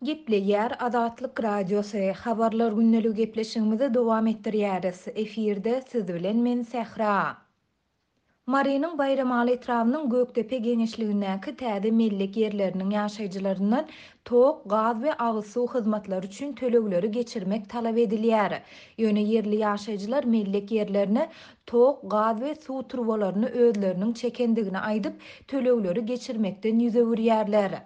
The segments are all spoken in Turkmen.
Gepleýär Azatlyk Radiosy, Habarlar gündeligi gepleşigimizi dowam etdirýäris. Efirde siz bilen men Sähra. Marynyň Baýramaly etrabynyň Gökdepe geňeşligindäki täze mellek ýerleriniň ýaşaýjylaryndan tok, gaz we agyz suw hyzmatlary üçin tölegleri geçirmek talap edilýär. Ýöne ýerli ýaşaýjylar mellek ýerlerine tok, gaz we suw turbalaryny özleriniň çekendigini aýdyp, tölegleri geçirmekden ýüz öwürýärler.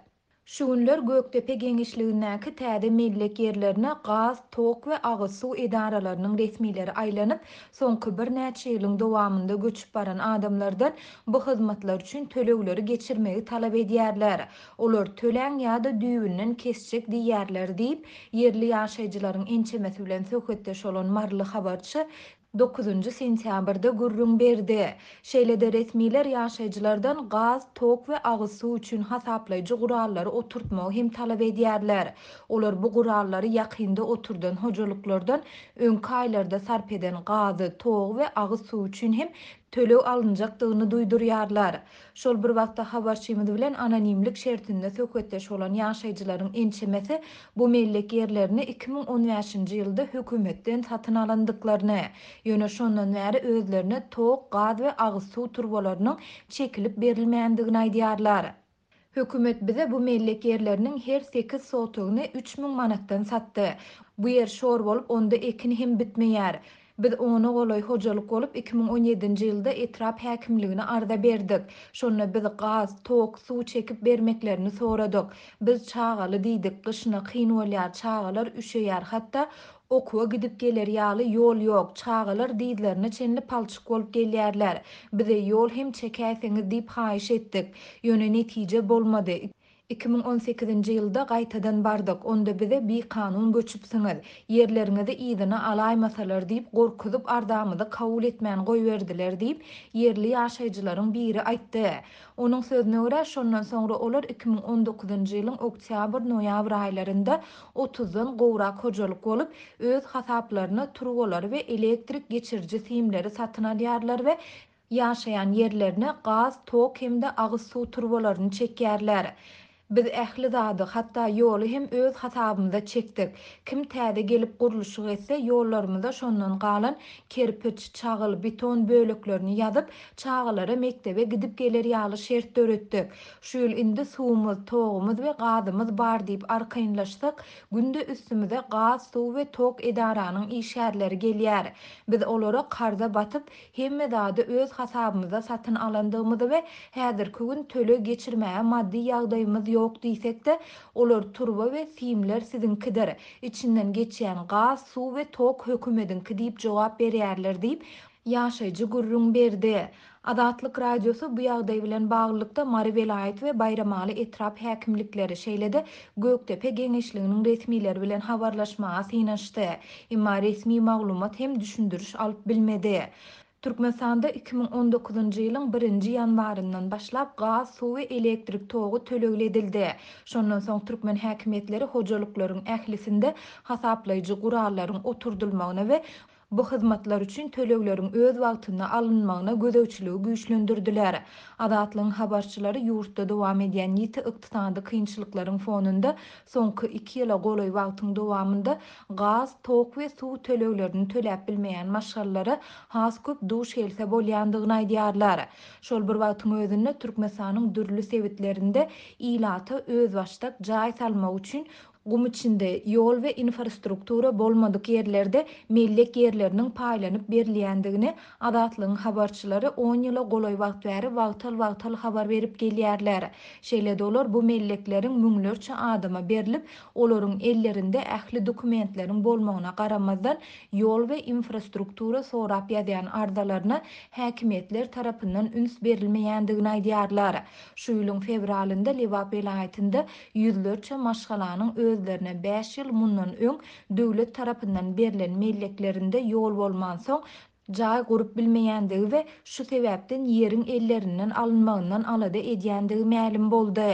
Şu günler Gökdepe geňeşligindäki täze mellek ýerlerine gaz, tok we agyz suw edaralarynyň resmileri aýlanyp, soňky birnäçe ýylyň dowamynda göçüp baran adamlardan bu hyzmatlar üçin tölegleri geçirmegi talap edýärler. Olar töläň ýa-da düýbünden kesjek diýýärler diýip, ýerli ýaşaýjylaryň ençemesi bilen söhbetdeş bolan maryly habarçy Dokuzynjy sentýabrda gürrüň berdi. Şeýle-de resmiler ýaşaýjylardan gaz, tok we agyz suw üçin hasaplaýjy gurallary oturtmagy hem talap edýärler. Olar bu gurallary ýakynda oturdan hojalyklardan öňki aýlarda sarp eden gazy, togy we agyz suwy üçin hem töleg alynjakdygyny duýdurýarlar. Şol bir wagtda habarçymyz bilen anonimlik şertinde söhbetdeş bolan ýaşaýjylaryň ençemesi bu mellek ýerlerini 2015-nji ýylda hökümetden satyn alandyklaryny, ýöne şondan bäri özlerine tok, gaz we agyz suw turbalarynyň çekilip berilmändigini aýdýarlar. Hökümet bize bu mellek ýerleriniň her sekiz sotygyny 3000 manatdan satdy. Bu ýer şor bolup, onda ekin hem bitmeýär. Biz ona golaý hojalyk bolup, 2017-nji ýylda etrap häkimligine arza berdik. Şonda biz gaz, tok, suw çekip bermeklerini soradyk. Biz çagaly diýdik, gyşyna kyn bolýar, çagalar üşeýär, hatda okuwa gidip geler ýaly ýol ýok, çagalar dyzlaryna çenli palçyk bolup gelýärler. Bize ýol hem çekäýseňiz diýip haýyş etdik. Ýöne netije bolmady. 2018-nji ýylda gaýtadan bardyk, onda bize bikanun göçüpsiňiz, ýerleriňizi yzyna alaýmasalar diýip gorkuzyp arzamyzy kabul etmän goýberdiler diýip, ýerli ýaşaýjylaryň biri aýtdy. Onuň sözüne görä, şondan soňra olar 2019-njy ýylyň oktýabr-noýabr aýlarynda otuzdan gowrak hojalyk bolup, öz hasaplaryna turbalary we elektrik geçiriji simleri satyn alýarlar we Ýaşaýan ýerlerine gaz, tok hem-de agyz suw turbalaryny çekýärler. Biz ähli zady, hatda ýoly hem öz hasabymyza çekdik. Kim täze gelip gurluşyk etse, ýollarymyza şondan galan kerpiç, çagyl, beton böleklerini ýazyp, çagalara mekdebe gidip geler ýaly şert döretdik. Şu ýyl indi suwumyz, togumyz we gazymyz bar diýip arkaýynlaşsak, günde üstümize gaz, suw we tok edaranyň işgärleri gelýär. Biz olara karza batyp, Hemme zady öz hasabymyza satyn alandygymyzy we häzirki gün töleg geçirmäge maddy ýagdaýymyz ýok diýsek-de, olar turba we simler siziňkidir, içinden geçýän gaz, suw we tok hökümediňki diýip jogap berýärler diýip, ýaşaýjy gürrüň berdi. Azatlyk Radiosy bu ýagdaý bilen baglylykda Mary welaýat we Baýramaly etrap häkimlikleri, şeýle-de Gökdepe geňeşliginiň resmileri bilen habarlaşmaga synanyşdy. Emma resmi maglumat hem düşündiriş alyp bilmedi. Türkmenistanda 2019-njy ýylyň birinji ýanwaryndan başlap gaz, suw we elektrik togy tölegli edildi. Şondan soň türkmen häkimiýetleri hojalyklaryň ählisinde hasaplaýjy gurallaryň oturdylmagyna we Bu hyzmatlar üçin tölegleriň öz wagtynda alynmagyna gözegçiligi güýçlendirdiler. Azatlygyň habarçylary ýurtda dowam edýän ýiti ykdysady kynçylyklaryň fonunda soňky iki ýyla golaý wagtyň dowamynda gaz, tok we suw töleglerini töläp bilmeýän maşgalalara has köp duş gelse bolýandygyny aýdýarlar. Şol bir wagtyň özünde Türkmenistanyň dürli sebitlerinde ilata özbaşdak jaý salmak üçin Gum içinde, ýol we infrastruktura bolmadyk ýerlerde mellek ýerleriniň paýlanyp berilýändigini Azatlygyň habarçylary on ýyla golaý wagt bäri wagtal-wagtal habar berip gelýärler. Şeýle-de olar bu mellekleriň müňlerçe adama berlip, olaryň ellerinde ähli dokumentleriň bolmagyna garamazdan, ýol we infrastruktura sorap ýazýan arzalaryna häkimiýetler tarapyndan üns berilmeýändigini aýdýarlar. Şu ýylyň fewralynda Lebap welaýatynda ýüzlerçe maşgalanyň özlerine bäş ýyl mundan öň döwlet tarapyndan berlen melleklerinde ýol bolmansoň, jaý gurup bilmeýändigi we şu sebäpden ýeriň ellerinden alynmagyndan alada edýändigi mälim boldy.